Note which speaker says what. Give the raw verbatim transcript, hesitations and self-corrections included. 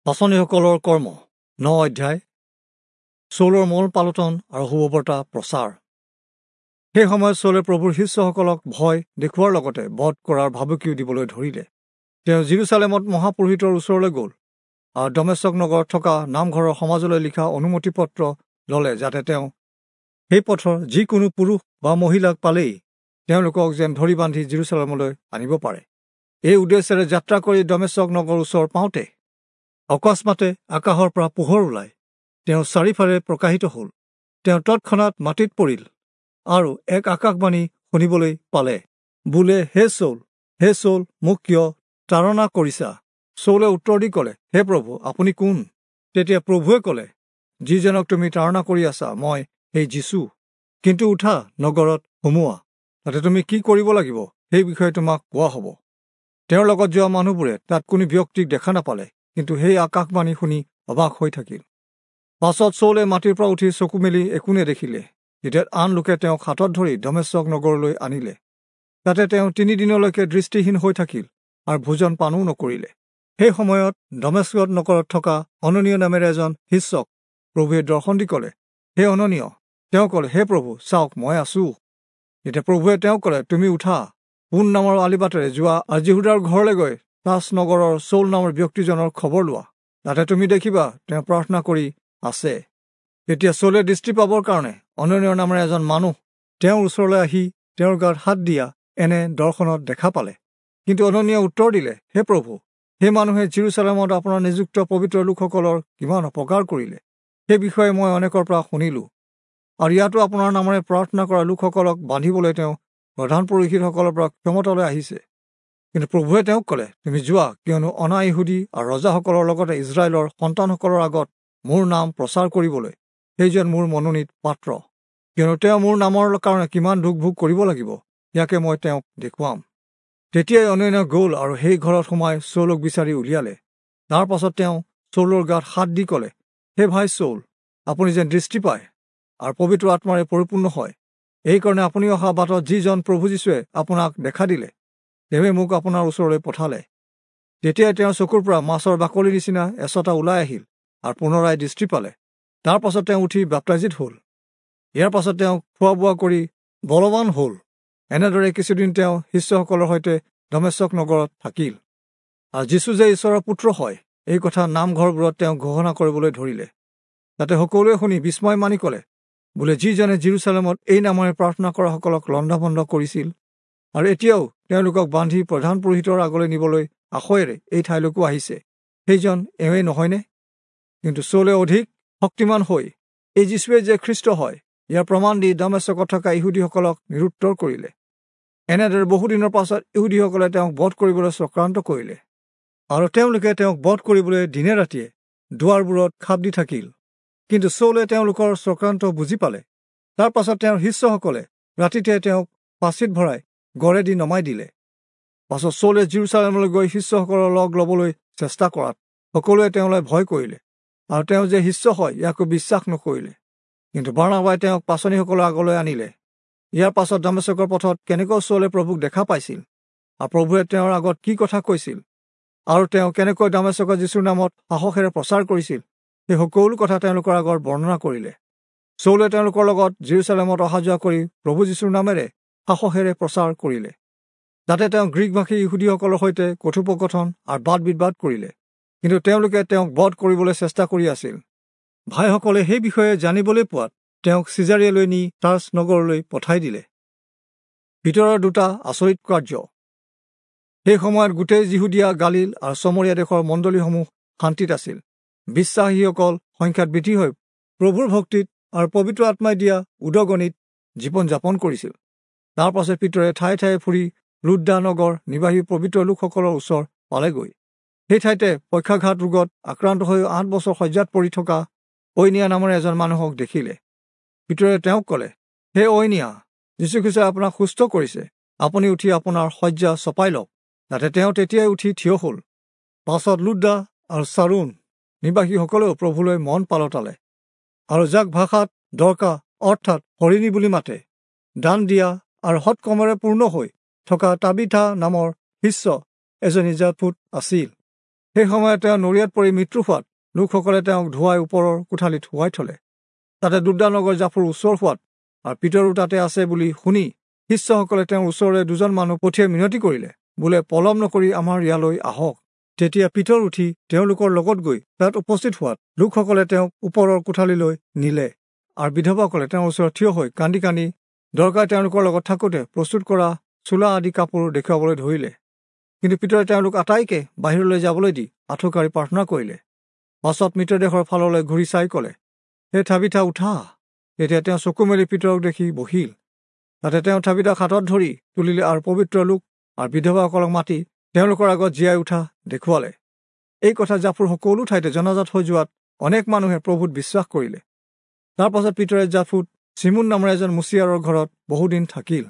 Speaker 1: পাঁচনিসকলৰ কৰ্ম ন অধ্যায় চৌলৰ মূল পালটন আৰু শুভবাৰ্তা প্ৰচাৰ। সেই সময়ত চৌলে প্ৰভুৰ শিষ্যসকলক ভয় দেখুওৱাৰ লগতে বধ কৰাৰ ভাবুকিও দিবলৈ ধৰিলে। তেওঁ জিৰচালেমত মহাপুৰোহিতৰ ওচৰলৈ গ'ল আৰু দমেচক নগৰত থকা নামঘৰৰ সমাজলৈ লিখা অনুমতি পত্ৰ ল'লে, যাতে তেওঁ সেই পথৰ যিকোনো পুৰুষ বা মহিলাক পালেই তেওঁলোকক যেন ধৰি বান্ধি জিৰচালেমলৈ আনিব পাৰে। এই উদ্দেশ্যেৰে যাত্ৰা কৰি দমেচক নগৰৰ ওচৰ পাওঁতে অকস্মাতে আকাশৰ পৰা পোহৰ ওলাই তেওঁ চাৰিওফালে প্ৰকাশিত হ'ল। তেওঁ তৎক্ষণাত মাটিত পৰিল আৰু এক আকাশবাণী শুনিবলৈ পালে, বোলে, হে চৌল, হে চৌল, মোক কিয় তাড়না কৰিছা? চৌলে উত্তৰ দি ক'লে, হে প্ৰভু, আপুনি কোন? তেতিয়া প্ৰভুৱে ক'লে, যিজনক তুমি তাড়না কৰি আছা, মই সেই যীচু। কিন্তু উঠা, নগৰত সোমোৱা, তাতে তুমি কি কৰিব লাগিব সেই বিষয়ে তোমাক কোৱা হ'ব। তেওঁৰ লগত যোৱা মানুহবোৰে তাত কোনো ব্যক্তিক দেখা নাপালে, কিন্তু সেই আকাশবাণী শুনি অবাক হৈ থাকিল। পাছত চৌলে মাটিৰ পৰা উঠি চকু মেলি একো নেদেখিলে। তেতিয়া আন লোকে তেওঁক হাতত ধৰি দমেচক নগৰলৈ আনিলে। তাতে তেওঁ তিনিদিনলৈকে দৃষ্টিহীন হৈ থাকিল আৰু ভোজন পানো নকৰিলে। সেই সময়ত দমেচক নগৰত থকা অননীয় নামেৰে এজন শিষ্যক প্ৰভুৱে দৰ্শন দি ক'লে, হে অননীয়। তেওঁ ক'লে, হে প্ৰভু, চাওক, মই আছো। তেতিয়া প্ৰভুৱে তেওঁক ক'লে, তুমি উঠা, পোন নামৰ আলিবাটেৰে যোৱা আৰু যিহুদাৰ ঘৰলৈ গৈ তাচ নগৰৰ চৌল নামৰ ব্যক্তিজনৰ খবৰ লোৱা। তাতে তুমি দেখিবা তেওঁ প্ৰাৰ্থনা কৰি আছে। তেতিয়া চৌলে দৃষ্টি পাবৰ কাৰণে অননীয় নামেৰে এজন মানুহ তেওঁৰ ওচৰলৈ আহি তেওঁৰ গাত হাত দিয়া এনে দৰ্শনত দেখা পালে। কিন্তু অননীয়ে উত্তৰ দিলে, হে প্ৰভু, সেই মানুহে জিৰচালেমত আপোনাৰ নিযুক্ত পবিত্ৰ লোকসকলৰ কিমান অপকাৰ কৰিলে, সেই বিষয়ে মই অনেকৰ পৰা শুনিলোঁ। আৰু ইয়াতো আপোনাৰ নামেৰে প্ৰাৰ্থনা কৰা লোকসকলক বান্ধিবলৈ তেওঁ প্ৰধান পুৰোহিতসকলৰ পৰা ক্ষমতালৈ আহিছে। কিন্তু প্ৰভুৱে তেওঁক ক'লে, তুমি যোৱা, কিয়নো অনা ইহুদী আৰু ৰজাসকলৰ লগতে ইজৰাইলৰ সন্তানসকলৰ আগত মোৰ নাম প্ৰচাৰ কৰিবলৈ সেইজন মোৰ মনোনীত পাত্ৰ। কিয়নো তেওঁ মোৰ নামৰ কাৰণে কিমান দুখ ভোগ কৰিব লাগিব, ইয়াকে মই তেওঁক দেখুৱাম। তেতিয়াই অনন্য গ'ল আৰু সেই ঘৰত সোমাই চৌলক বিচাৰি উলিয়ালে। তাৰ পাছত তেওঁ চৌলৰ গাত হাত দি ক'লে, হে ভাই চৌল, আপুনি যেন দৃষ্টি পায় আৰু পবিত্ৰ আত্মাৰে পৰিপূৰ্ণ হয়, এইকাৰণে আপুনি অহা বাটত যিজন প্ৰভু যীশুৱে আপোনাক দেখা দিলে, তেওঁৱে মোক আপোনাৰ ওচৰলৈ পঠালে। তেতিয়াই তেওঁৰ চকুৰ পৰা মাছৰ বাকলিৰ নিচিনা এচটা ওলাই আহিল আৰু পুনৰাই দৃষ্টি পালে। তাৰ পাছত তেওঁ উঠি বাপ্তাইজিত হ'ল। ইয়াৰ পাছত তেওঁ খোৱা বোৱা কৰি বলৱান হ'ল। এনেদৰে কিছুদিন তেওঁ শিষ্যসকলৰ সৈতে দমেচক নগৰত থাকিল। আৰু যীচু যে ঈশ্বৰৰ পুত্ৰ হয়, এই কথা নামঘৰবোৰত তেওঁ ঘোষণা কৰিবলৈ ধৰিলে। তাতে সকলোৱে শুনি বিস্ময় মানি ক'লে, বোলে, যিজনে জিৰচালেমত এই নামেৰে প্ৰাৰ্থনা কৰাসকলক লণ্ডভণ্ড কৰিছিল আৰু এতিয়াও তেওঁলোকক বান্ধি প্ৰধান পুৰোহিতৰ আগলৈ নিবলৈ আশয়েৰে এই ঠাইলৈকো আহিছে, সেইজন এওঁৱেই নহয়নে? কিন্তু চৌলে অধিক শক্তিমান হৈ এই যীচুৱে যে খ্ৰীষ্ট হয়, ইয়াৰ প্ৰমাণ দি দমেচকত থকা ইহুদীসকলক নিৰুত্তৰ কৰিলে। এনেদৰে বহুদিনৰ পাছত ইহুদীসকলে তেওঁক বধ কৰিবলৈ চক্ৰান্ত কৰিলে আৰু তেওঁলোকে তেওঁক বধ কৰিবলৈ দিনে ৰাতিয়ে দুৱাৰবোৰত খাপ দি থাকিল। কিন্তু চৌলে তেওঁলোকৰ চক্ৰান্ত বুজি পালে। তাৰ পাছত তেওঁৰ শিষ্যসকলে ৰাতিতে তেওঁক পাচিত ভৰাই গড়েদি নমাই দিলে। পাছত চৌলে জিৰচালেমলৈ গৈ শিষ্যসকলৰ লগ ল'বলৈ চেষ্টা কৰাত সকলোৱে তেওঁলৈ ভয় কৰিলে আৰু তেওঁ যে শিষ্য হয় ইয়াকো বিশ্বাস নকৰিলে। কিন্তু বাৰ্ণাবাই তেওঁক পাচনিসকলৰ আগলৈ আনিলে। ইয়াৰ পাছত দমেচকৰ পথত কেনেকৈ চৌলে প্ৰভুক দেখা পাইছিল আৰু প্ৰভুৱে তেওঁৰ আগত কি কথা কৈছিল আৰু তেওঁ কেনেকৈ দমেচকত যীচুৰ নামত সাহসেৰে প্ৰচাৰ কৰিছিল, সেই সকলো কথা তেওঁলোকৰ আগত বৰ্ণনা কৰিলে। চৌলে তেওঁলোকৰ লগত জিৰচালেমত অহা যোৱা কৰি প্ৰভু যীচুৰ নামেৰে সাহসেৰে প্ৰচাৰ কৰিলে। তাতে তেওঁ গ্ৰীকভাষী ইহুদীসকলৰ সৈতে কথোপকথন আৰু বাদ বিবাদ কৰিলে, কিন্তু তেওঁলোকে তেওঁক বধ কৰিবলৈ চেষ্টা কৰি আছিল। ভাইসকলে সেই বিষয়ে জানিবলৈ পোৱাত তেওঁক চিজাৰিয়ালৈ নি তাৰ্চ নগৰলৈ পঠাই দিলে। ভিতৰৰ দুটা আচৰিত কাৰ্য। সেই সময়ত গোটেই যিহুদীয়া, গালিল আৰু চমৰীয়া দেশৰ মণ্ডলীসমূহ শান্তিত আছিল। বিশ্বাসীসকল সংখ্যাত বৃদ্ধি হৈ প্ৰভুৰ ভক্তিত আৰু পবিত্ৰ আত্মাই দিয়া উদগনিত জীৱন যাপন কৰিছিল। তাৰ পাছত পিতৰে ঠায়ে ঠায়ে ফুৰি লুদ্দা নগৰ নিবাসী পবিত্ৰ লোকসকলৰ ওচৰ পালেগৈ। সেই ঠাইতে পক্ষাঘাত ৰোগত আক্ৰান্ত হৈ আঠ বছৰ শয্যাত পৰি থকা ঐনিয়া নামৰ এজন মানুহক দেখিলে। পিতৰে তেওঁক ক'লে, হে ঐনিয়া, যীশুখ্ৰীষ্টই আপোনাক সুস্থ কৰিছে, আপুনি উঠি আপোনাৰ শয্যা চপাই লওক। তাতে তেওঁ তেতিয়াই উঠি থিয় হ'ল। পাছত লুদ্দা আৰু চাৰুণ নিবাসীসকলেও প্ৰভুলৈ মন পালটালে আৰু যাক ভাষাত দৰকা অৰ্থাৎ হৰিণী বুলি মাতে, দান দিয়া আৰু সৎকৰ্মৰে পূৰ্ণ হৈ থকা তাবিথা নামৰ শিষ্য এজনী জাফুত আছিল। সেই সময়ত তেওঁ নৰিয়াত পৰি মৃত্যু হোৱাত লোকসকলে তেওঁক ধুৱাই ওপৰৰ কোঠালিত শুৱাই থলে। তাতে লুদ্দা নগৰ জাফুৰ ওচৰ হোৱাত আৰু পিতৰো তাতে আছে বুলি শুনি শিষ্যসকলে তেওঁৰ ওচৰলৈ দুজন মানুহ পঠিয়াই মিনতি কৰিলে, বোলে পলম নকৰি আমাৰ ইয়ালৈ আহক। তেতিয়া পিতৰ উঠি তেওঁলোকৰ লগত গৈ তাত উপস্থিত হোৱাত লোকসকলে তেওঁক ওপৰৰ কোঠালিলৈ নিলে আৰু বিধৱাসকলে তেওঁৰ ওচৰত থিয় হৈ কান্দি কান্দি দৰকাৰ তেওঁলোকৰ লগত থাকোঁতে প্ৰস্তুত কৰা চোলা আদি কাপোৰ দেখুৱাবলৈ ধৰিলে। কিন্তু পিতৰে তেওঁলোক আটাইকে বাহিৰলৈ যাবলৈ দি আঁঠুকাঢ়ি প্ৰাৰ্থনা কৰিলে। পাছত মৃতদেহৰ ফাললৈ ঘূৰি চাই ক'লে, হে থাবিথা, উঠা। তেতিয়া তেওঁ চকু মেলি পিতৰক দেখি বহিল। তাতে তেওঁ থাবিথাক হাতত ধৰি তুলিলে আৰু পবিত্ৰ লোক আৰু বিধৱাসকলক মাতি তেওঁলোকৰ আগত জীয়াই উঠা দেখুৱালে। এই কথা জাফুৰ সকলো ঠাইতে জনাজাত হৈ যোৱাত অনেক মানুহে প্ৰভুত বিশ্বাস কৰিলে। তাৰ পাছত পিতৰে জাফুত চিমোন নামৰ এজন মুচিয়াৰৰ ঘৰত বহুদিন থাকিল।